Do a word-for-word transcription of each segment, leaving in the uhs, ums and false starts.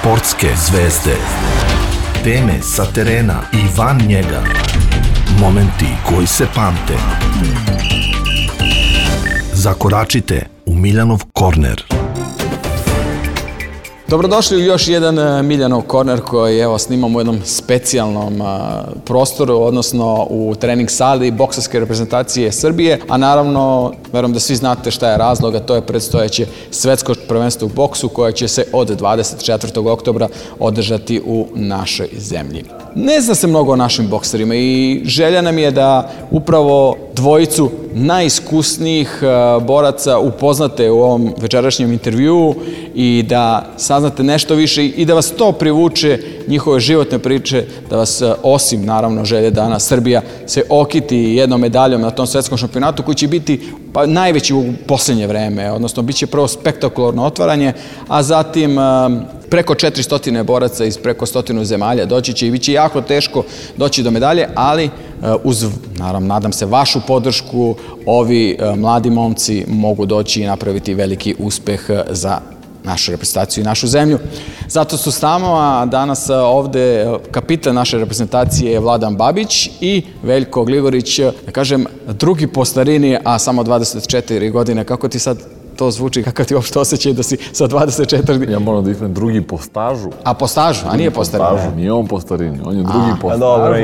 Sportske zvezde. Teme sa terena i van njega. Momenti koji se pamte. Zakoračite u Miljanov korner. Dobrodošli u još jedan Miljanov korner koji evo snimamo u jednom specijalnom a, prostoru, odnosno u trening sali bokserske reprezentacije Srbije, a naravno, verujem da svi znate šta je razlog, a to je predstojeće svetsko prvenstvo u boksu koje će se od dvadeset četvrtog oktobra održati u našoj zemlji. Ne zna se mnogo o našim bokserima i želja nam je da upravo dvojicu najiskusnijih boraca upoznate u ovom večerašnjem intervjuu i da saznate nešto više i da vas to privuče, njihove životne priče, da vas osim naravno želje da Srbija se okiti jednom medaljom na tom svetskom šampionatu koji će biti pa, najveći u posljednje vreme, odnosno bit će prvo spektakularno otvaranje, a zatim preko četiristo boraca iz preko stotinu zemalja doći će i bit će jako teško doći do medalje, ali uz, naravno, nadam se, vašu podršku, ovi mladi momci mogu doći i napraviti veliki uspeh za našu reprezentaciju i našu zemlju. Zato su s nama, a danas ovde kapitan naše reprezentacije je Vladan Babić i Veljko Gligorić, da kažem, drugi po starini, a samo dvadeset četiri godine. Kako ti sad to zvuči, kakav ti uopšte osjećaj da si sa dvadeset četiri... Ja moram da ispravim drugi po stažu. A po stažu, a nije po starini? Nije on po starini, on je drugi po stažu. Dobro,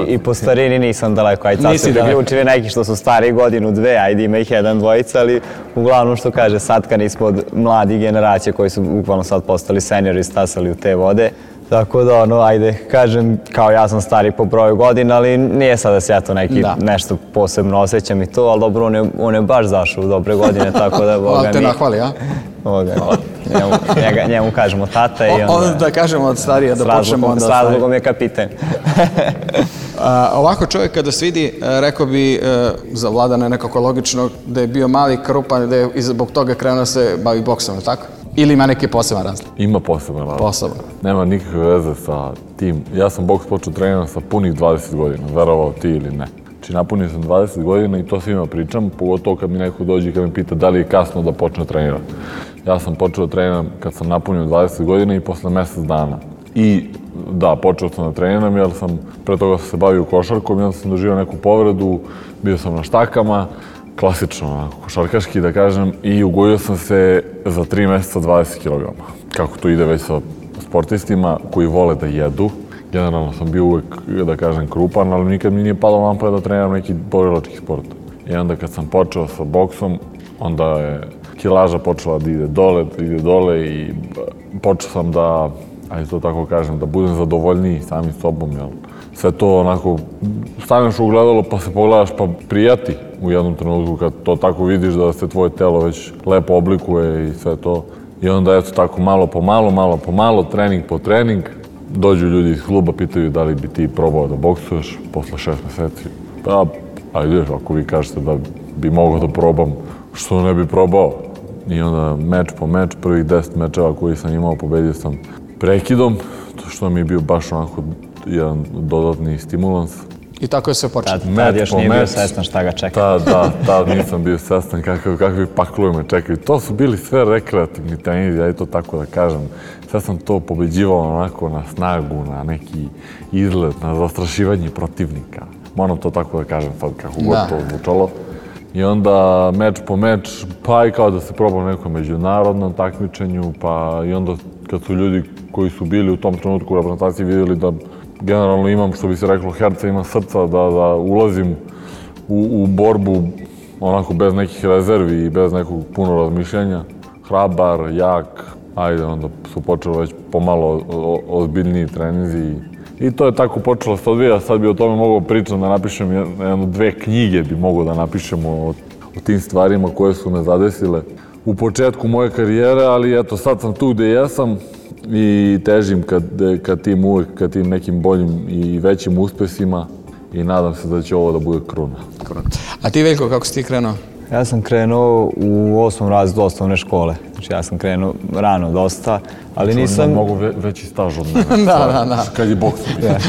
i po starini nisam daleko. Ajde, sad se priključili neki što su stari godinu, dve, ajde ima ih jedan, dvojica, ali uglavnom što kaže, sad kad nismo od mladih generacije koji su bukvalno sad postali seniori, stasali u te vode. Tako da, ono, ajde, kažem, kao ja sam stari po broju godina, ali nije sad da se ja to neki nešto posebno osjećam i to, ali dobro, on je, on je baš zašao u dobre godine, tako da, boga mi... te nahvali, a? Boga, njemu, njega, njemu kažemo tata i onda... Onda da kažemo od starija, da počnemo onda... S razlogom je kapiten. A, ovako čovjek kada se vidi, rekao bi za Vladana nekako logično da je bio mali, krupan, da je zbog toga krenuo se bavi boksom, tako? Ili ima neki poseban razlog? Ima poseban razlog. Poseban. Nema nikakve veze sa tim. Ja sam boks počeo trenirati sa punih dvadeset godina, verovao ti ili ne. Znači napunio sam dvadeset godina i to svima pričam, pogotovo kad mi neko dođe i kad me pita da li je kasno da počne trenirati. Ja sam počeo da treniram kad sam napunio dvadeset godina i posle mjesec dana. I da, počeo sam da treniram jer sam pre toga se bavio košarkom i onda sam doživio neku povredu, bio sam na štakama, klasično, košarkaški da kažem, i ugojio sam se za tri mjeseca dvadeset kilograma. Kako to ide već sa sportistima koji vole da jedu. Generalno sam bio uvek, da kažem, krupan, ali nikad mi nije palo na pamet da treniram neki borilački sport. I onda kad sam počeo sa boksom, onda je kilaža počela da ide dole, da ide dole i počeo sam da, ajde to tako kažem, da budem zadovoljniji samim sobom, jel? Sve to onako, staneš u gledalo pa se pogledaš pa prijati u jednom trenutku kad to tako vidiš da se tvoje telo već lepo oblikuje i sve to. I onda eto tako malo po malo, malo po malo, trening po trening. Dođu ljudi iz kluba, pitaju da li bi ti probao da boksuješ posle šest mjeseci. Pa, ajde, ako vi kažete da bi mogao da probam, što ne bi probao? I onda meč po meč, prvih deset mečeva koji sam imao, pobedio sam prekidom, što mi je bio baš onako jedan dodatni stimulans. I tako je sve počeo. Tad, tad još nije bio svestan šta ga čeka. Da, da, tad nisam bio svestan kakvi, kakvi paklovi me čekaju. To su bili sve rekreativni treninzi, ja i to tako da kažem. Sve sam to pobeđivao onako na snagu, na neki izlet, na zastrašivanje protivnika. Moram to tako da kažem sad kako god to zvučalo. I onda meč po meč, pa i kao da se probam nekom međunarodnom takmičenju, pa i onda kad su ljudi koji su bili u tom trenutku u reprezentaciji vidjeli da generalno imam, što bi se reklo, herca, imam srca, da, da ulazim u, u borbu onako bez nekih rezervi i bez nekog puno razmišljanja. Hrabar, jak, ajde, onda su počeli već pomalo ozbiljniji treninzi. I to je tako počelo se odvija, sad bi o tome mogao pričati, da napišem jedno, dve knjige bi mogao da napišemo o, o tim stvarima koje su me zadesile u početku moje karijere, ali eto, sad sam tu gde jesam i težim ka, ka tim uvek, ka tim nekim boljim i većim uspesima i nadam se da će ovo da bude kruna. A ti, Veljko, kako si ti krenuo? Ja sam krenuo u osmom razredu osnovne škole. Znači ja sam krenuo rano dosta, ali nisam... On ima mnogo veći staž od mene. Da, da, da. Kad je boks.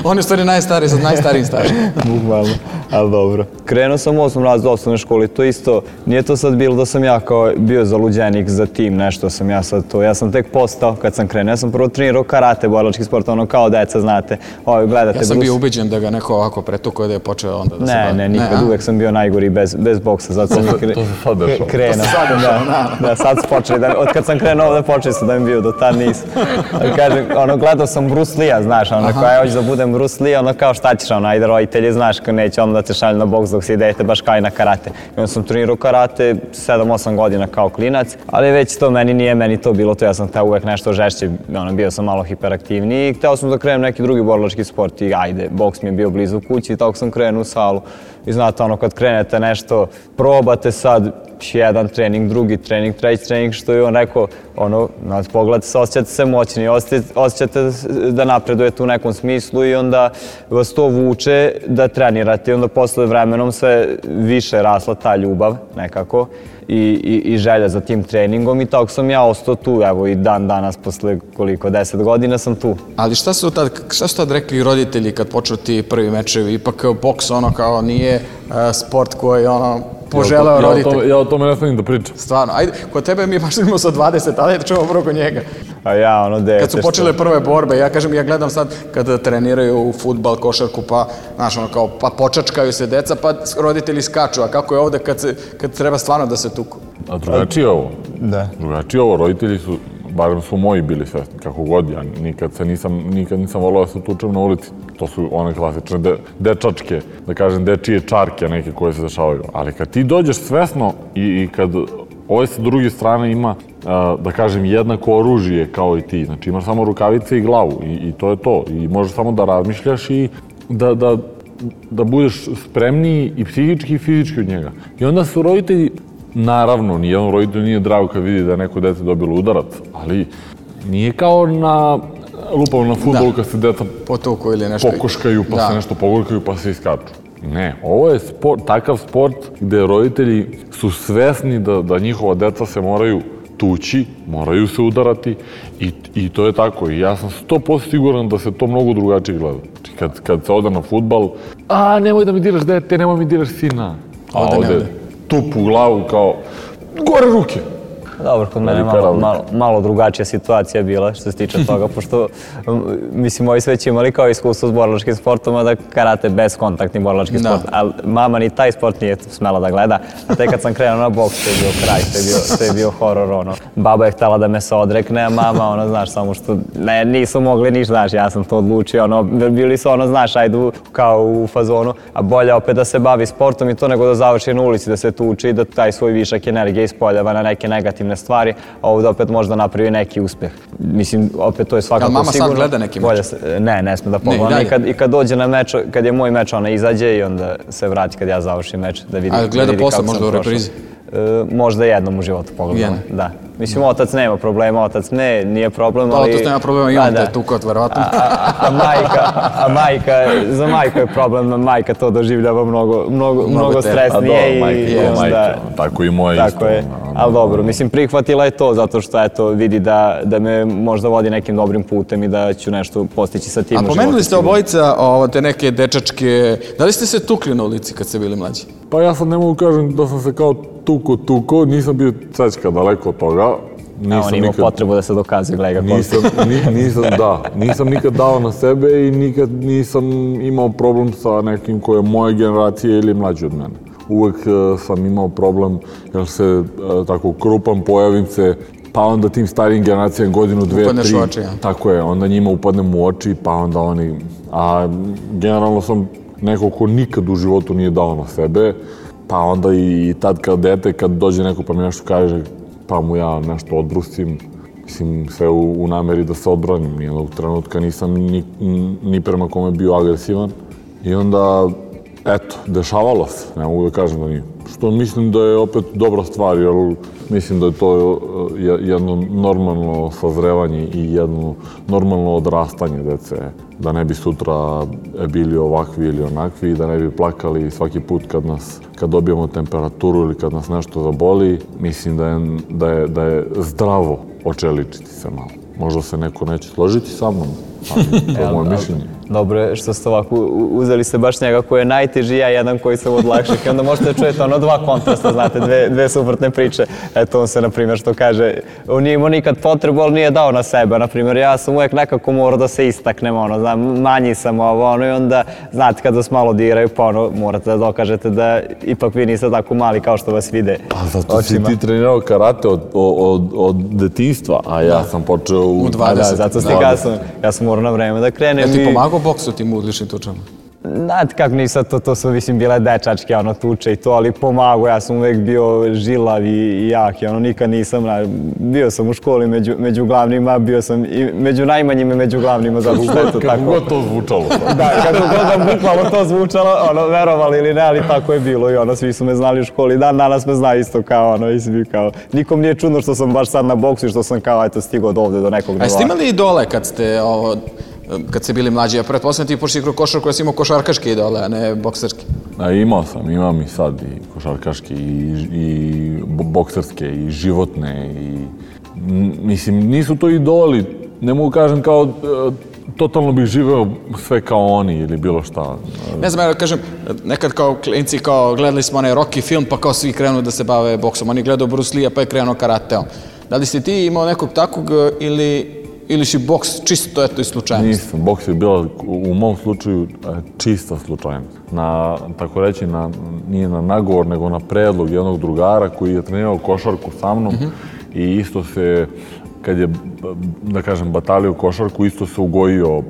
On je u stvari najstariji, sad najstarijim stažem. Bukvalno, ali dobro. Krenuo sam u osmom razredu osnovne škole, to isto, nije to sad bilo da sam ja kao bio zaluđenik za tim, nešto sam ja sad to. Ja sam tek postao kad sam krenuo, ja sam prvo trenirao karate, borilački sport, ono kao deca, znate, ovo gledate. Ja sam bio ubeđen da ga neko ovako pretukao da je počeo onda da se bavi. Ne, ne, nikad, uvek sam bio najgori bez, bez boksa, zato sam to se sad dešao. Krenuo. To se sad dešao, da. Da, sad su počeli, da, od kad sam krenuo ovde počeli su da mi bio, do tad nisam. Kažem, ono, gledao sam Bruce Lee-a, znaš, ono, kao ja hoću da budem Bruce Lee, ono, kao šta ćeš, ono, ajde roditelji, znaš, kao neće ono da te šalju na boks dok si idete baš kao i na karate. I onda sam trenirao karate sedam osam godina kao klinac, ali već to meni nije, meni to bilo to, ja sam hteo uvek nešto žešće, ono, bio sam malo hiperaktivniji i hteo sam da krenem neki drugi borilački sport i ajde, boks mi je bio blizu kući i tako sam krenuo u salu. I znate, ono, kad krenete nešto, probate sad jedan trening, drugi trening, treći trening, što je on rekao, ono, pogledate se, osjećate se moćni, osjećate da napredujete u nekom smislu i onda vas to vuče da trenirate i onda posle vremenom sve više rasla ta ljubav nekako i, i, i želja za tim treningom i tako sam ja ostao tu, evo i dan danas posle koliko, deset godina sam tu. Ali šta su tad, šta su tad rekli roditelji kad počnu ti prvi mečevi? Ipak boks ono kao nije uh, sport koji ono poželeo roditelj. Ja o tome ne smijem da pričam. Stvarno, ajde, kod tebe mi baš imamo sa dvadeset, ali da čujemo prvo kod njega. A ja, ono, dete kad su počele prve borbe, ja kažem, ja gledam sad kad treniraju u fudbal, košarku, pa, znaš, ono, kao, pa počačkaju se deca, pa roditelji skaču, a kako je ovde kad, se, kad treba stvarno da se tuku? A drugačije ovo. Da. Drugačije ovo, roditelji su, barem su moji bili svesni, kako god, ja nikad se nisam, nikad nisam volao da se tučem na ulici. To su one klasične de, dečačke, da kažem, dečije čarke neke koje se dešavaju. Ali kad ti dođeš svesno i, i kad ovaj sa druge strane ima, a, da kažem, jednako oružje kao i ti, znači imaš samo rukavice i glavu i, i to je to. I možeš samo da razmišljaš i da, da, da budeš spremniji i psihički i fizički od njega. I onda su roditelji, naravno, nijedan roditelj nije drago kad vidi da je neko dete dobilo udarac, ali nije kao na lupao na fudbalu kad se deca potuku ili nešto pokoškaju, pa da se nešto pogorkaju, pa se iskaču. Ne, ovo je sport, takav sport gde roditelji su svesni da, da njihova deca se moraju tući, moraju se udarati i, i to je tako. I ja sam sto posto siguran da se to mnogo drugačije gleda. Znači, kad, kad se ode na fudbal, a nemoj da mi diraš dete, nemoj mi diraš sina. A ovde, ovde tup u glavu kao, gore ruke. Dobro, kod mene je malo, malo, malo drugačija situacija bila što se tiče toga, pošto, mislim, ovi sve će imali kao iskustvo s borilačkim sportom, a da karate bezkontaktni borilački sport, ali mama ni taj sport nije smela da gleda, a tek kad sam krenuo na boks, to je bio kraj, to je bio, to je bio horor, ono. Baba je htjela da me se odrekne, a mama, ono, znaš, samo što, ne, nisu mogli ništa, znaš, ja sam to odlučio, ono, bili su, ono, znaš, ajdu kao u fazonu, a bolje opet da se bavi sportom i to nego da završi na ulici, da se tuči i da taj svoj višak energije ispoljava na neke negativne stvari, a ovdje opet možda napravi neki uspjeh. Mislim, opet to je svakako sigurno. Ali mama sad gleda neki meč? Ne, ne sme da pogleda. I kad, i kad dođe na meč, kad je moj meč, ona izađe i onda se vrati kad ja završim meč da vidi. A gleda posle možda u reprizi? E, možda jednom u životu pogledam. Da. Mislim, otac nema problema, otac ne, nije problem, ali... Otac nema problema i on te tukot, verovatno. A majka, a majka, za majku je problem, majka to doživljava mnogo, mnogo, mnogo stresnije i onda... Tako i moja isto. Tako je, ali dobro, mislim, prihvatila je to zato što, eto, vidi da, da me možda vodi nekim dobrim putem i da ću nešto postići sa tim u životu. A pomenuli ste obojica te neke dečačke, da li ste se tukli na ulici kad ste bili mlađi? Pa ja sad ne mogu kažem da sam se kao tuko, tuko, nisam bio cečka daleko od toga. A on imao potrebu da se dokazuje, gledaj ga nisam, nisam, da, nisam nikad dao na sebe i nikad nisam imao problem sa nekim koje je moje generacije ili mlađi od mene. Uvek sam imao problem jer se tako krupan, pojavim se, pa onda tim starijim generacijama godinu, dve, upadneš tri. U oči, ja. Tako je, onda njima upadnem u oči, pa onda oni... A generalno sam neko ko nikad u životu nije dao na sebe, pa onda i tad kad dete, kad dođe neko pa mi nešto kaže, pa mu ja nešto odbrustim, mislim, sve u, u nameri da se odbranim. Nijednog trenutka nisam ni, ni prema kome bio agresivan. I onda, eto, dešavalo se, ne mogu da kažem da nije. što mislim da je opet dobra stvar, jer mislim da je to jedno normalno sazrevanje i jedno normalno odrastanje dece. Da ne bi sutra bili ovakvi ili onakvi, da ne bi plakali svaki put kad nas, kad dobijemo temperaturu ili kad nas nešto zaboli. Mislim da je, da je, da je zdravo očeličiti se malo. Možda se neko neće složiti sa mnom, ali to je moje mišljenje. Dobro je što ste ovako uzeli ste baš njega koji je najteži, ja jedan koji sam od lakših i onda možete čujete ono dva kontrasta, znate, dve, dve suprotne priče. Eto on se, na primjer, što kaže, on nije imao nikad potrebu, ali nije dao na sebe. Na primjer, ja sam uvijek nekako morao da se istaknem, ono, znam, manji sam ovo, ono, i onda, znate, kad vas malo diraju, pa ono, morate da dokažete da ipak vi niste tako mali kao što vas vide. A zato si ti trenirao karate od, od, od detinjstva, a ja sam počeo u dvadeset. Da, zato ste kasno, ja sam morao na vreme da krenem. Jel ti pomagao boksu tim uličnim tučama? Znate kako nisam, to, to su mislim bile dečačke, ono, tuče i to, ali pomagao, ja sam uvijek bio žilav i jak, ono, nikad nisam, bio sam u školi među, među glavnima, bio sam i među najmanjima i među glavnima, zato što je to tako. Kako god to zvučalo. Da, kako god vam bukvalno to zvučalo, ono, verovali ili ne, ali tako je bilo i ono, svi su me znali u školi, dan danas me znaju isto kao, ono, i svi kao, nikom nije čudno što sam baš sad na boksu i što sam kao, eto, stigao do ovde, do nekog nivoa. A jeste imali idole kad ste, ovo, kad ste bili mlađi? Ja pretpostavljam ti početi kroz košarku, ja si imao košarkaške idole, a ne bokserske. A, imao sam, imam i sad i košarkaške i, i bokserske i životne i mislim nisu to idoli, ne mogu kažem kao totalno bih živeo sve kao oni ili bilo šta. Ne znam, ja kažem, nekad kao klinci kao gledali smo onaj Rocky film pa kao svi krenu da se bave boksom, oni gledaju Bruce Lee-a pa je krenuo karateom. Da li si ti imao nekog takvog ili Ili si boks čisto eto i slučajnost? Nisam, boks je bila u mom slučaju čista slučajnost. Na, tako reći, na, nije na nagovor, nego na predlog jednog drugara koji je trenirao košarku sa mnom mm-hmm. i isto se, kad je, da kažem, batalio košarku, isto se ugojio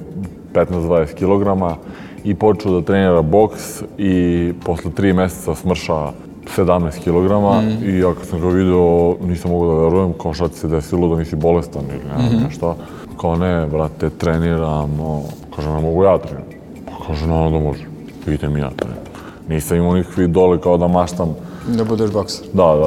petnaest do dvadeset kilograma i počeo da trenira boks i posle tri meseca smrša sedamnaest kilograma mm. i ja kad sam ga video nisam mogao da verujem kao šta ti se desilo da nisi bolestan ili ne znam mm-hmm. nešto. Kao ne, brate, treniram, no. Kaže, ne mogu ja treniram. Pa kaže, no, da može. Idem ja treniram. Nisam imao nikakve idole kao da maštam. Da budeš bokser? Da, da,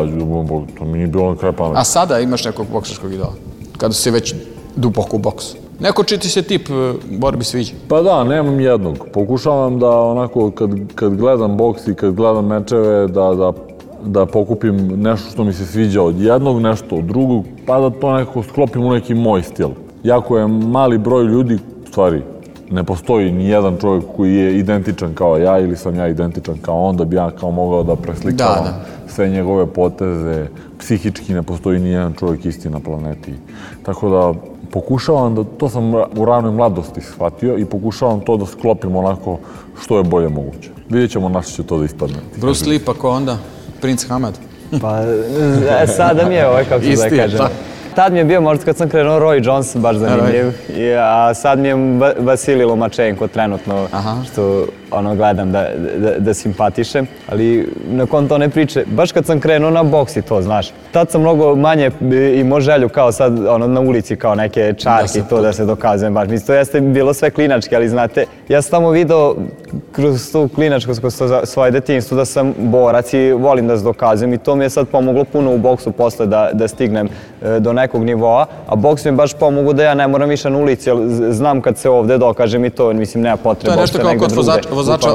to mi nije bilo na kraj pameti. A sada imaš nekog bokserskog idola? Kada si već duboko u boksu? Neko či ti se tip borbi sviđa? Pa da, nemam jednog. Pokušavam da onako kad, kad gledam boks i kad gledam mečeve da, da, da pokupim nešto što mi se sviđa od jednog, nešto od drugog, pa da to nekako sklopim u neki moj stil. Jako je mali broj ljudi, u stvari, ne postoji ni jedan čovjek koji je identičan kao ja ili sam ja identičan kao on, da bi ja kao mogao da preslikavam da, da. sve njegove poteze. Psihički ne postoji ni jedan čovjek isti na planeti. Tako da pokušavam da, to sam u ranoj mladosti shvatio i pokušavam to da sklopim onako što je bolje moguće. Vidjet ćemo na što će to da ispadne. Bruce Lee pa ko onda? Prince Hamad? Pa sada mi je ovaj, kako se da kažem. Tad mi je bio, možda kad sam krenuo, Roy Jones, baš zanimljiv, a sad mi je Vasilij Lomachenko trenutno, što ono gledam da, da, da simpatišem, ali nakon to ne priče, baš kad sam krenuo na boks i to, znaš, tad sam mnogo manje imao želju kao sad ono, na ulici kao neke čarke i to da se dokazujem baš. Mislim, to jeste bilo sve klinački, ali znate, ja sam tamo video kroz tu klinačku, kroz svoje detinjstvo da sam borac i volim da se dokazujem i to mi je sad pomoglo puno u boksu posle da, da stignem do nekog nivoa, a boks mi je baš pomoglo da ja ne moram više na ulici, jer znam kad se ovde dokažem i to, mislim, nema potrebe. To je nešto kao kod vozača, vozača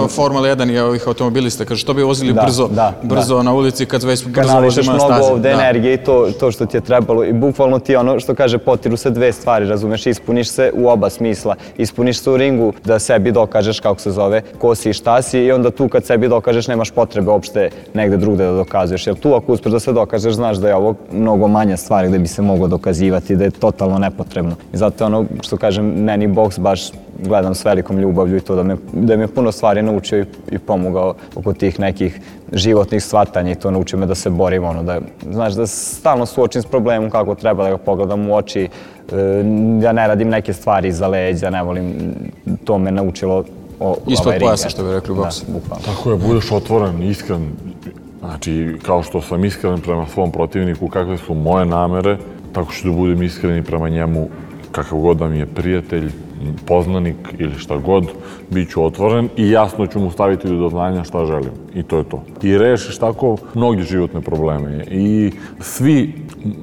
Formule jedan i ovih automobilista, kaže što bi vozili da, brzo, da, brzo da. na ulici kad već brzo vozimo na stazi. Kanališeš mnogo ovde da. energije i to, to što ti je trebalo i bukvalno ti ono što kaže potiru se dve stvari, razumeš, ispuniš se u oba smisla, ispuniš se u ringu da sebi dokažeš kako se zove, ko si i šta si i onda tu kad sebi dokažeš nemaš potrebe uopšte negde drugde da dokazuješ, jer tu ako uspeš da se dokažeš znaš da je ovo mnogo manja stvar gde bi se moglo dokazivati, da je totalno nepotrebno. I zato ono što kažem, meni boks baš gledam s velikom ljubavlju i to da me, da me puno stvari naučio i, i pomogao oko tih nekih životnih shvatanja i to naučio me da se borim, ono, da, znaš, da stalno suočim s problemom kako treba da ga pogledam u oči, e, ja ne radim neke stvari iza leđa, ne volim, to me naučilo o, ispod ovaj pojasa, što bi rekli u boksu. Da, tako je, budeš otvoren, iskren, znači kao što sam iskren prema svom protivniku, kakve su moje namere, tako što da budem iskren prema njemu kakav god da mi je prijatelj, poznanik ili šta god, bit ću otvoren i jasno ću mu staviti do znanja šta želim. I to je to. I rešiš tako mnogi životne probleme. I svi,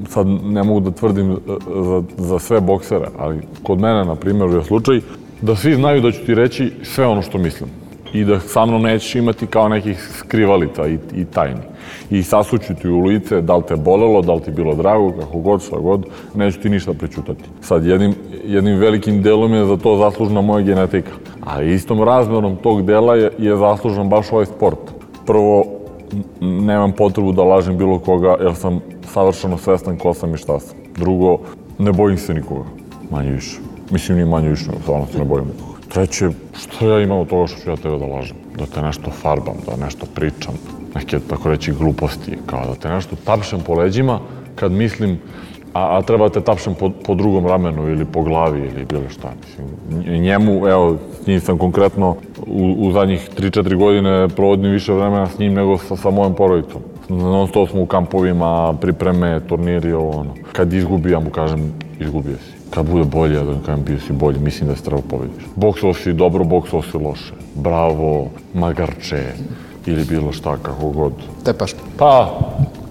sad ne mogu da tvrdim za, za sve boksere, ali kod mene, na primjer, je slučaj da svi znaju da ću ti reći sve ono što mislim. I da sa mnom nećeš imati kao nekih skrivalica i, i tajni. I sasuću ti u lice da li te bolelo, da li ti bilo drago, kako god, šta god, neću ti ništa prećutati. Sad, jednim, jednim velikim delom je za to zaslužna moja genetika. A istom razmerom tog dela je, je zaslužan baš ovaj sport. Prvo, nemam potrebu da lažem bilo koga, jer sam savršeno svestan ko sam i šta sam. Drugo, ne bojim se nikoga, manje više. Mislim, ni manje više, stvarno se ne bojim nikoga. Treće, što ja imam od toga što ću ja tebe da lažem? Da te nešto farbam, da nešto pričam, neke, tako reći, gluposti, kao da te nešto tapšem po leđima kad mislim, a, a treba te tapšem po, po drugom ramenu ili po glavi ili bilo šta. Mislim, njemu, evo, s njim sam konkretno u, u zadnjih tri četiri godine provodim više vremena s njim nego sa, sa mojom porodicom. Non stop smo u kampovima, pripreme, turniri, ovo ono. Kad izgubi, ja mu kažem, izgubio si. Kad bude bolje, da kažem, bio si bolji, mislim da se treba pobediš. Boksao si dobro, boksao si loše. Bravo, magarče, ili bilo šta, kako god. Tepaš. Pa...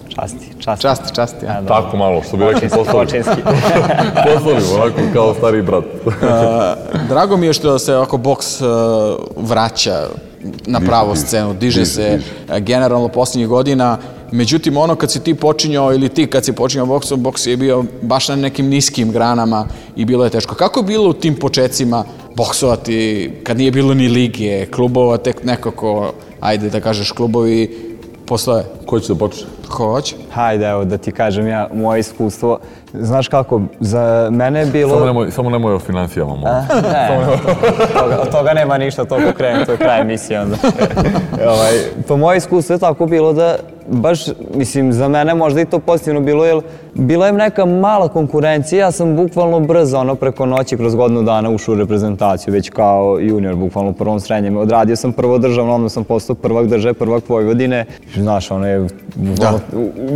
Časti, časti. Časti, časti, ja. Tako malo, što bi rekli poslovi. Poslovi, onako kao stari brat. Drago mi je što se ovako boks vraća na pravu scenu, diže se generalno posljednjih godina. Međutim, ono kad si ti počinjao ili ti kad si počinjao boksom, boks je bio baš na nekim niskim granama i bilo je teško. Kako je bilo u tim počecima boksovati kad nije bilo ni lige, klubova, tek nekako, ajde da kažeš, klubovi postoje? Ko će da počne? Ko hoće? Hajde, evo da ti kažem ja, moje iskustvo. Znaš kako, za mene je bilo... Samo nemoj, samo nemoj o financijama, molim. Ne, toga, od toga nema ništa, toliko krenem, to je kraj emisije onda. ovaj, po moje iskustvo je tako bilo da baš, mislim, za mene možda i to pozitivno bilo, jer bila je neka mala konkurencija, ja sam bukvalno brzo, ono, preko noći, kroz godinu dana ušao u reprezentaciju, već kao junior, bukvalno u prvom srednjem. Odradio sam prvo državno, onda sam postao prvak države, prvak Vojvodine. Znaš, ono je bukvalno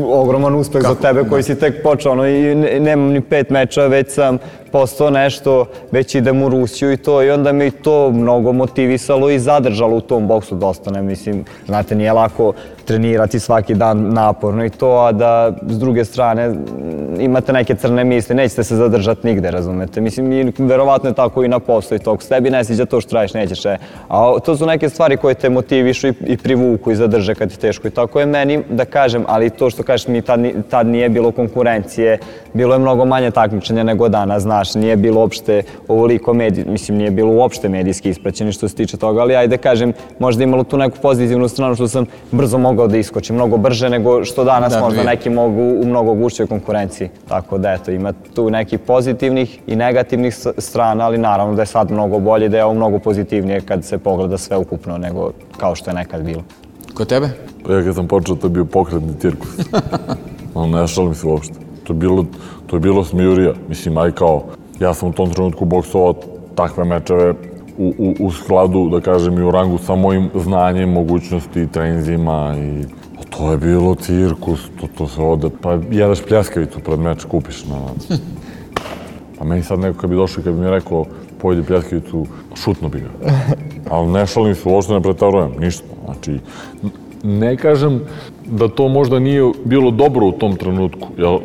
ogroman uspeh za tebe koji si tek počeo, ono, i nemam ni pet meča, već sam postao nešto, već idem u Rusiju i to, i onda me i to mnogo motivisalo i zadržalo u tom boksu dosta, ne mislim, znate, nije lako trenirati svaki dan naporno i to, a da s druge strane imate neke crne misli, nećete se zadržati nigde, razumete, mislim, i verovatno je tako i na poslu i to, ako se tebi ne sviđa to što radiš, nećeš, e. A to su neke stvari koje te motivišu i, i privuku i zadrže kad ti teško i tako je meni, da kažem, ali to što kažeš mi tad, tad nije bilo konkurencije, bilo je mnogo manje takmičenja nego danas, znaš, nije bilo uopšte ovoliko medij, mislim, nije bilo uopšte medijski ispraćeni što se tiče toga, ali ajde kažem, možda imalo tu neku pozitivnu stranu što sam brzo mogao da iskočim, mnogo brže nego što danas da, možda neki mogu u mnogo gušćoj konkurenciji. Tako da eto, ima tu nekih pozitivnih i negativnih strana, ali naravno da je sad mnogo bolje, da je ovo mnogo pozitivnije kad se pogleda sve ukupno nego kao što je nekad bilo. Kod tebe? Ja kad sam počeo, to je bio pokretni cirkus. Ne šalim se uopšte. To je bilo, to je bilo smijurija. Mislim, aj kao, ja sam u tom trenutku boksovao takve mečeve u, u, u skladu, da kažem, i u rangu sa mojim znanjem, mogućnosti, trenzima i... To je bilo cirkus, to, to se ode, pa jedeš pljeskavicu pred meč, kupiš na... Pa meni sad neko kad bi došao i kad bi mi rekao pojedi pljeskavicu, šutno bi ga. Ali ne šalim se, uopšte ne pretarujem, ništa. Znači, ne kažem da to možda nije bilo dobro u tom trenutku, jel,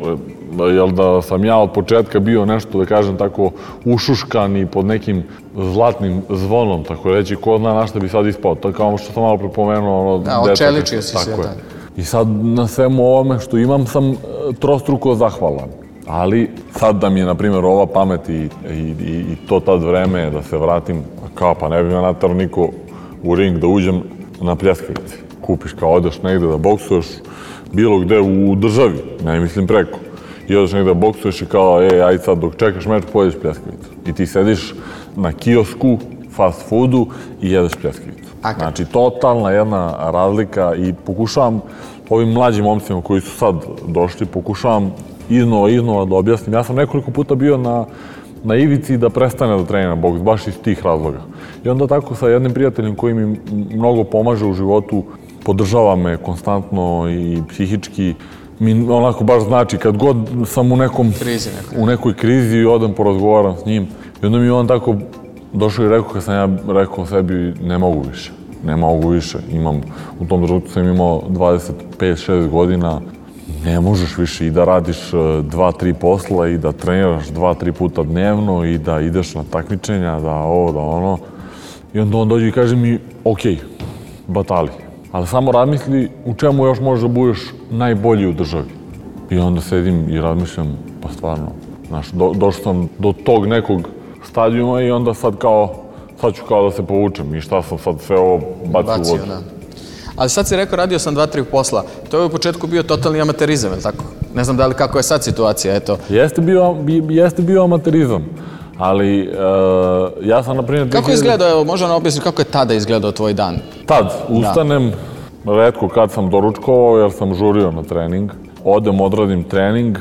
jel da sam ja od početka bio nešto, da kažem tako, ušuškan i pod nekim zlatnim zvonom, tako reći, ko zna na šta bi sad ispao. To je kao što sam malo prepomenuo, ono... Da, očeličio si se, da. I sad na svemu ovome što imam sam trostruko zahvalan. Ali sad da mi je, na primjer, ova pamet i, i, i to tad vreme da se vratim, kao pa ne bi me naterao niko u ring da uđem na pljeskavici. Kupiš kao odeš negde da boksuješ bilo gde u državi, ne mislim preko. I odeš negde da boksuješ i kao, ej, ajde sad dok čekaš meč, pojedeš pljeskavicu. I ti sediš na kiosku, fast foodu i jedeš pljeskavicu. Znači, totalna jedna razlika i pokušavam ovim mlađim momcima koji su sad došli, pokušavam iznova, iznova da objasnim. Ja sam nekoliko puta bio na, na ivici da prestane da trenira boks, baš iz tih razloga. I onda tako sa jednim prijateljem koji mi mnogo pomaže u životu, podržava me konstantno i psihički, mi onako baš znači, kad god sam u nekom, krizi u nekoj krizi i odem porazgovaram s njim i onda mi on tako došao i rekao kad sam ja rekao sebi ne mogu više, ne mogu više, imam, u tom trenutku sam imao dvadeset pet šest godina, ne možeš više i da radiš dva, tri posla i da treniraš dva, tri puta dnevno i da ideš na takmičenja, da ovo, da ono. I onda on dođe i kaže mi, ok, batali, ali samo razmisli u čemu još možeš da budeš najbolji u državi. I onda sedim i razmišljam, pa stvarno, znaš, do, došao sam do tog nekog stadijuma i onda sad kao, sad ću kao da se povučem i šta sam sad sve ovo bacio u vodu. Ali sad si rekao, radio sam dva, tri posla. To je u početku bio totalni amaterizam, je li tako? Ne znam da li kako je sad situacija, eto. Jeste bio, jeste bio amaterizam, ali uh, ja sam, na primjer... Kako je izgledao, evo, možda nam objasniti kako je tada izgledao tvoj dan? Tad, ustanem, da. Retko kad sam doručkovao jer sam žurio na trening. Odem, odradim trening,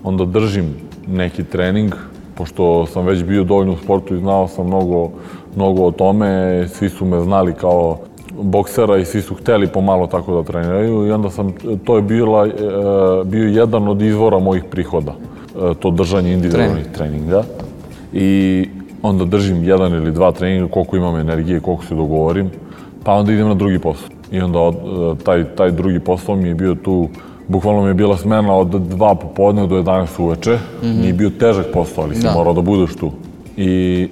onda držim neki trening, pošto sam već bio dovoljno u sportu i znao sam mnogo, mnogo o tome, svi su me znali kao boksera i svi su hteli pomalo tako da treniraju i onda sam, to je bila, bio jedan od izvora mojih prihoda, to držanje individualnih treninga. I onda držim jedan ili dva treninga, koliko imam energije, koliko se dogovorim, pa onda idem na drugi posao. I onda taj, taj drugi posao mi je bio tu, bukvalno mi je bila smena od dva popodne do jedanaest uveče. Mm-hmm. Nije bio težak posao, ali si da. morao da budeš tu. I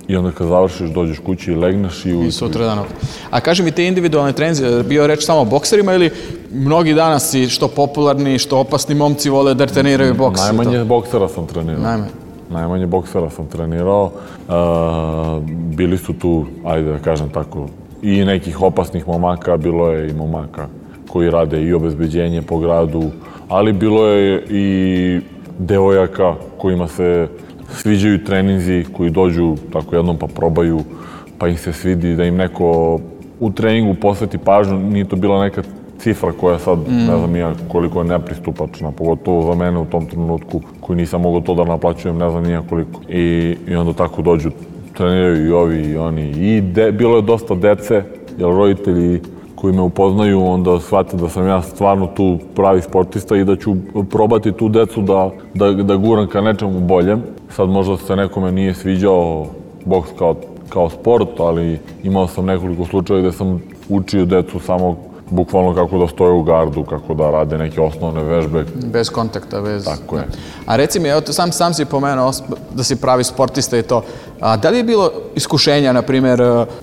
I onda kad završiš, dođeš kući i legneš i... I sutra dan opet. A kaži mi, te individualne treninzi, bio reč samo o bokserima ili mnogi danas si što popularni, što opasni momci vole da treniraju boks? Najmanje boksera sam trenirao. Najmanje? Najmanje boksera sam trenirao. Uh, bili su tu, ajde da kažem tako, i nekih opasnih momaka, bilo je i momaka koji rade i obezbeđenje po gradu, ali bilo je i devojaka kojima se sviđaju treninzi, koji dođu tako jednom pa probaju, pa im se svidi da im neko u treningu posveti pažnju. Nije to bila neka cifra koja sad, mm. ne znam ja koliko je nepristupačna, pogotovo za mene u tom trenutku, koji nisam mogao to da naplaćujem, ne znam nija koliko. I, i onda tako dođu, treniraju i ovi i oni. I de, bilo je dosta dece, jer roditelji koji me upoznaju, onda shvate da sam ja stvarno tu pravi sportista i da ću probati tu decu da, da, da guram ka nečemu boljem. Sad možda se nekome nije sviđao boks kao, kao sport, ali imao sam nekoliko slučaja gde sam učio decu samo bukvalno kako da stoje u gardu, kako da rade neke osnovne vežbe. Bez kontakta, bez... Tako je. A reci mi, evo, sam, sam si pomenuo da si pravi sportista i to. A da li je bilo iskušenja, na primjer,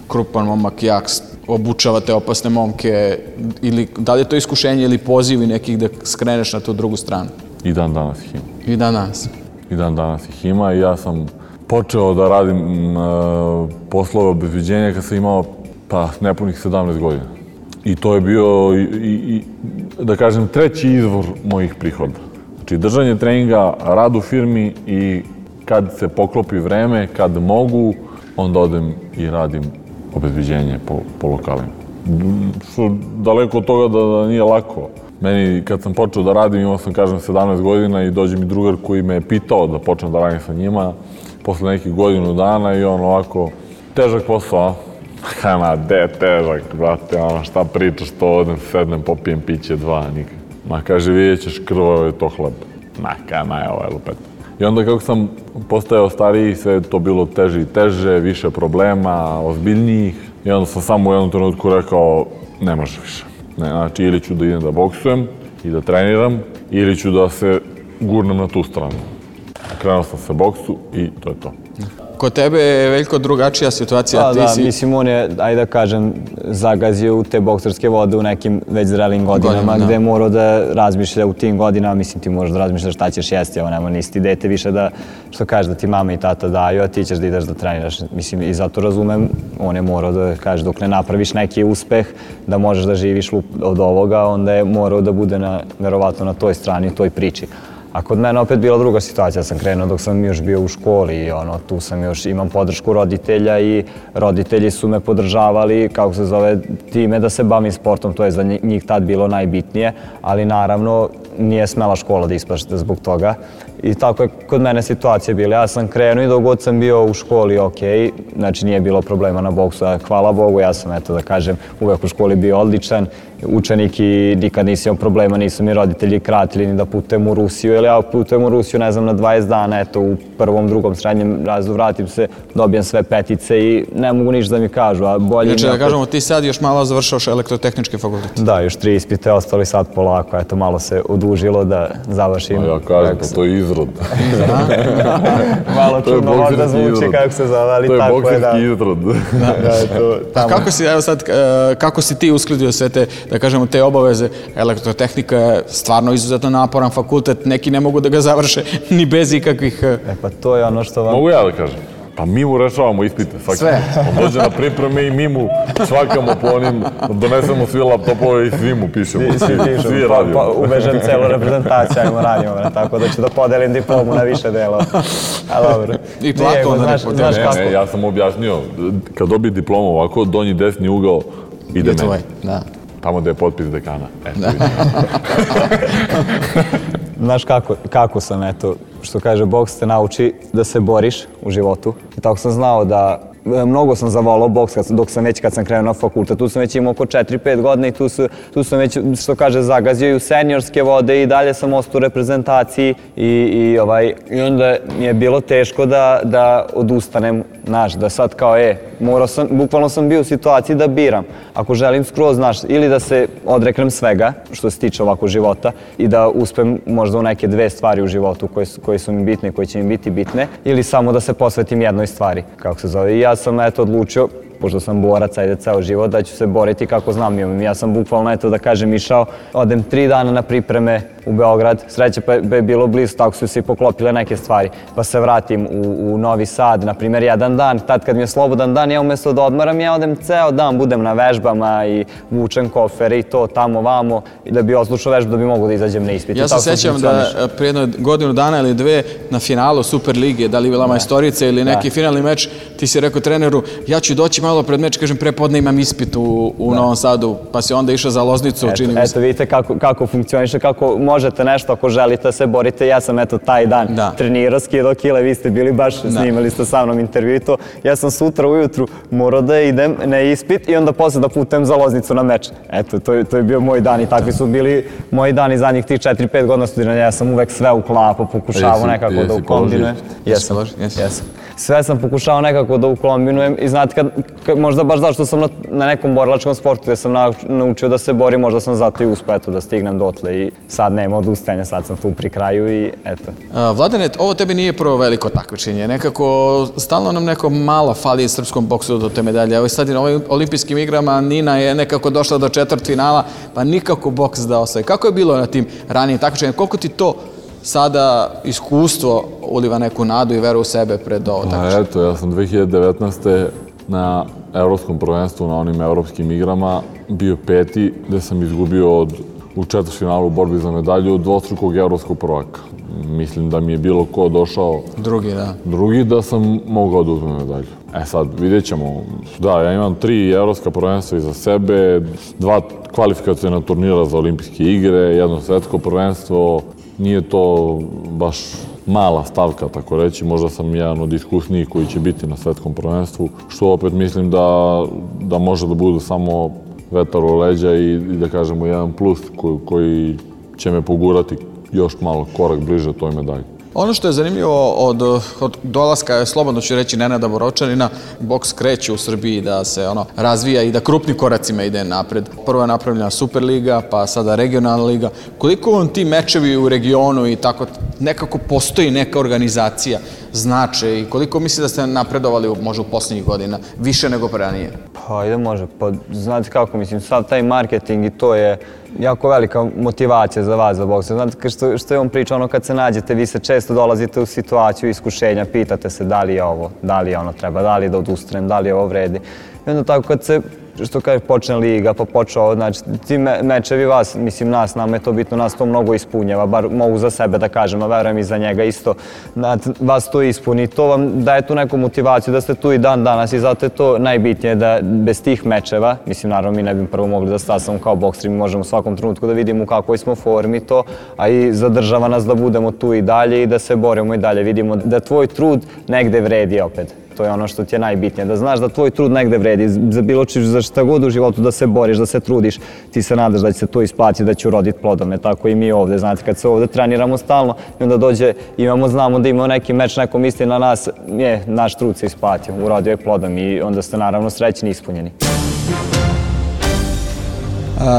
krupan momak, jak, obučavate opasne momke, ili da li je to iskušenje ili pozivi nekih da skreneš na tu drugu stranu? I dan danas ih ima. I dan danas? I dan danas ih ima i ja sam počeo da radim uh, poslove obezbeđenja kad sam imao pa nepunih sedamnaest godina. I to je bio, i, i, da kažem, treći izvor mojih prihoda. Znači, držanje treninga, rad u firmi i kad se poklopi vreme, kad mogu, onda odem i radim obezbeđenje po, po lokalima. Što daleko od toga da, da nije lako. Meni, kad sam počeo da radim, imao sam, kažem, sedamnaest godina i dođe mi drugar koji me je pitao da počnem da radim sa njima posle nekih godinu dana i on ovako, težak posao, a? Kana, de težak, brate, ono, šta pričaš, to odem, sednem, popijem piće, dva, nikak. Ma, kaže, vidjet ćeš, krvavo je to hleb. Ma, kana je ovaj lupet. I onda kako sam postajao stariji, sve je to bilo teže i teže, više problema, ozbiljnijih. I onda sam samo u jednom trenutku rekao, ne može više. Ne, znači, ili ću da idem da boksujem i da treniram, ili ću da se gurnem na tu stranu. Krenuo sam se boksu i to je to. Kod tebe je veliko drugačija situacija. Da, ti da, si... mislim, on je, ajde da kažem, zagazio u te bokserske vode u nekim već zrelim godinama, Godina, gde je morao da razmišlja u tim godinama, mislim, ti možeš da razmišljaš šta ćeš jesti, evo nema, nisi ti dete više da, što kažeš, da ti mama i tata daju, a ti ćeš da ideš da treniraš. Mislim, i zato razumem, on je morao da kaže, dok ne napraviš neki uspeh, da možeš da živiš od ovoga, onda je morao da bude na, verovatno na toj strani, u toj priči. A kod mene opet bila druga situacija, sam krenuo dok sam još bio u školi i ono, tu sam još, imam podršku roditelja i roditelji su me podržavali, kako se zove, time da se bavim sportom, to je za njih tad bilo najbitnije, ali naravno nije smela škola da isplašite zbog toga I tako je kod mene situacija bila. Ja sam krenuo i dok god sam bio u školi, ok, znači nije bilo problema na boksu, a hvala Bogu, ja sam, eto da kažem, uvek u školi bio odličan učenik i nikad nisam imao problema, nisu mi roditelji kratili ni da putujem u Rusiju, jer ja putujem u Rusiju, ne znam, na dvadeset dana, eto, u prvom, drugom, srednjem razredu vratim se, dobijem sve petice i ne mogu ništa da mi kažu, a bolje... Znači da kažemo, ti sad još malo završaoš elektrotehnički fakultet. Da, još tri ispite, ostali sad polako, eto, malo se odužilo da završim. A ja kažem, pa to je izrod. Malo čudno možda zvuči kako se zove, ali tako je, da. To je bokserski izrod. Kako si, evo sad, kako si ti uskladio sve te, da kažemo, te obaveze? Elektrotehnika je stvarno izuzetno naporan fakultet, neki ne mogu da ga završe ni bez ikakvih... E pa to je ono što vam... Mogu ja da kažem? Pa mi mu rešavamo ispite. Sve. On dođe na pripreme i mi mu švakamo po onim, donesemo svi laptopove i svi mu pišemo. Svi pišemo, svi radimo. Uvežem celu reprezentaciju, ajmo radimo, tako da ću da podelim diplomu na više delova. A dobro. I platu onda ne podelim. Ne, ne, ja sam objasnio, kad dobije diplomu ovako, donji desni ugao ide meni. Da. Tamo gde je potpis dekana. Znaš kako, kako sam, eto, što kaže, boks te nauči da se boriš u životu. I tako sam znao da, mnogo sam zavolao boks dok sam već, kad sam krenuo na fakultet, tu sam već imao oko četiri pet godina i tu, su, tu sam već, što kaže, zagazio i u seniorske vode i dalje sam ostao u reprezentaciji i, i, ovaj, i onda mi je bilo teško da, da odustanem, znaš, da sad kao, e, morao sam, bukvalno sam bio u situaciji da biram. Ako želim skroz, znaš, ili da se odreknem svega, što se tiče ovako života, i da uspem možda u neke dve stvari u životu koje su, koje su mi bitne, koje će mi biti bitne, ili samo da se posvetim jednoj stvari, kako se zove. I ja sam, eto, odlučio, pošto sam borac, ajde, ceo život, da ću se boriti kako znam. Ja sam bukvalno, eto, da kažem, išao, odem tri dana na pripreme u Beograd, sreće pa je bilo blizu, tako su se i poklopile neke stvari, pa se vratim u, u Novi Sad, na primjer, jedan dan, tad kad mi je slobodan dan, ja umjesto da odmaram, ja odem ceo dan, budem na vežbama i vučem kofere i to, tamo, vamo, i da bi oslušao vežbu, da bi mogu da izađem na ispit. Ja se sećam da prije jedno godinu dana ili dve na finalu Super lige, da li bila majstorica ili neki finalni meč, ti si rekao treneru, ja ću doći malo pred meč, kažem, prepodne imam ispit u, u Novom Sadu, pa si onda išao za Loznicu, eto, čini mi se. Eto, vidite kako, kako funkcioniše, kako možete nešto ako želite se borite. Ja sam, eto, taj dan da. trenirao, skidao kile, vi ste bili baš, da. snimali ste sa mnom intervju i to. Ja sam sutra ujutru morao da idem na ispit i onda posle da putujem za Loznicu na meč. Eto, to, to je bio moj dan i takvi su bili moji dani zadnjih tih četiri pet godina studiranja. Ja sam uvek sve uklapao, pokušavao nekako da ukombinujem. Jesam, jesam. Sve sam pokušao nekako da ukombinujem i znate, kad, kad, možda baš zašto sam na, na nekom borilačkom sportu gde sam na, naučio da se borim, možda sam zato i uspeo eto, da stignem dotle i sad nema odustajanja, sad sam tu pri kraju i eto. A, Vladane, ovo tebi nije prvo veliko takmičenje, nekako stalno nam neko malo fali srpskom boksu do te medalje. Evo sad i na ovim olimpijskim igrama Nina je nekako došla do četvrtfinala, pa nikako boks da osvoji. Kako je bilo na tim ranijim takmičenjima? Koliko ti to sada iskustvo uliva neku nadu i veru u sebe pred ovo takmičenje? Eto, ja sam dve hiljade devetnaeste. na evropskom prvenstvu, na onim evropskim igrama, bio peti, gde sam izgubio od, u četvrtfinalu u borbi za medalju od dvostrukog evropskog prvaka. Mislim da mi je bilo ko došao drugi, da. drugi da sam mogao da uzmem medalju. E sad, vidjet ćemo. Da, ja imam tri evropska prvenstva iza sebe, dva kvalifikacijna turnira za olimpijske igre, jedno svetsko prvenstvo. Nije to baš mala stavka, tako reći. Možda sam jedan od iskusnijih koji će biti na svetskom prvenstvu, što opet mislim da, da može da bude samo vetar u leđa i, i da kažemo jedan plus koji, koji će me pogurati još malo korak bliže toj medalji. Ono što je zanimljivo od, od dolaska, slobodno ću reći, Nenada Borovčanina, boks kreće u Srbiji da se ono razvija i da krupnim koracima ide napred. Prvo je napravljena Superliga, pa sada regionalna liga. Koliko vam ti mečevi u regionu i tako nekako postoji neka organizacija znače i koliko misli da ste napredovali možda u posljednjih godina, više nego ranije? Pa ajde može, pa znate kako, mislim, sad taj marketing i to je jako velika motivacija za vas za boks. Znate što, što je on pričao, ono kad se nađete, vi se često dolazite u situaciju iskušenja, pitate se da li je ovo, da li je ono treba, da li je da odustanem, da li je ovo vredi. I onda tako kad se što kaže, počne liga, pa počeo, znači, ti me, mečevi vas, mislim, nas, nama je to bitno, nas to mnogo ispunjava, bar mogu za sebe da kažem, a verujem i za njega isto, znači, vas to ispuni, to vam daje tu neku motivaciju da ste tu i dan danas i zato je to najbitnije da bez tih mečeva, mislim, naravno, mi ne bi prvo mogli da stasamo kao bokseri, mi možemo u svakom trenutku da vidimo u kakvoj smo formi to, a i zadržava nas da budemo tu i dalje i da se borimo i dalje, vidimo da tvoj trud negde vredi opet. To je ono što ti je najbitnije, da znaš da tvoj trud negde vredi, za bilo čiš, za šta god u životu da se boriš, da se trudiš, ti se nadaš da će se to isplatiti, da će uroditi plodom, tako i mi ovde, znate, kad se ovde treniramo stalno i onda dođe, imamo, znamo da imamo neki meč, neko misli na nas, je, naš trud se isplatio, urodio je plodom i onda ste naravno srećni i ispunjeni.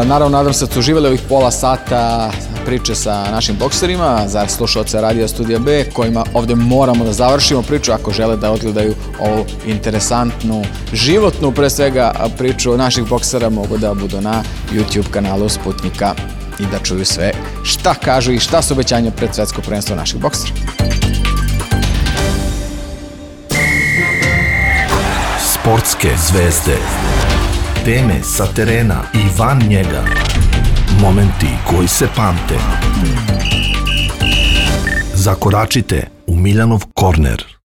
Naravno, nadam se da ste uživali ovih pola sata priče sa našim bokserima, za slušalce Radio Studija B, kojima ovde moramo da završimo priču ako žele da odgledaju ovu interesantnu, životnu, pre svega, priču naših boksera, mogu da budu na YouTube kanalu Sputnika i da čuju sve šta kažu i šta su obećanja pred svetsko prvenstvo naših boksera. Sportske zvezde. Teme sa terena i van njega. Momenti koji se pamte. Zakoračite u Miljanov korner.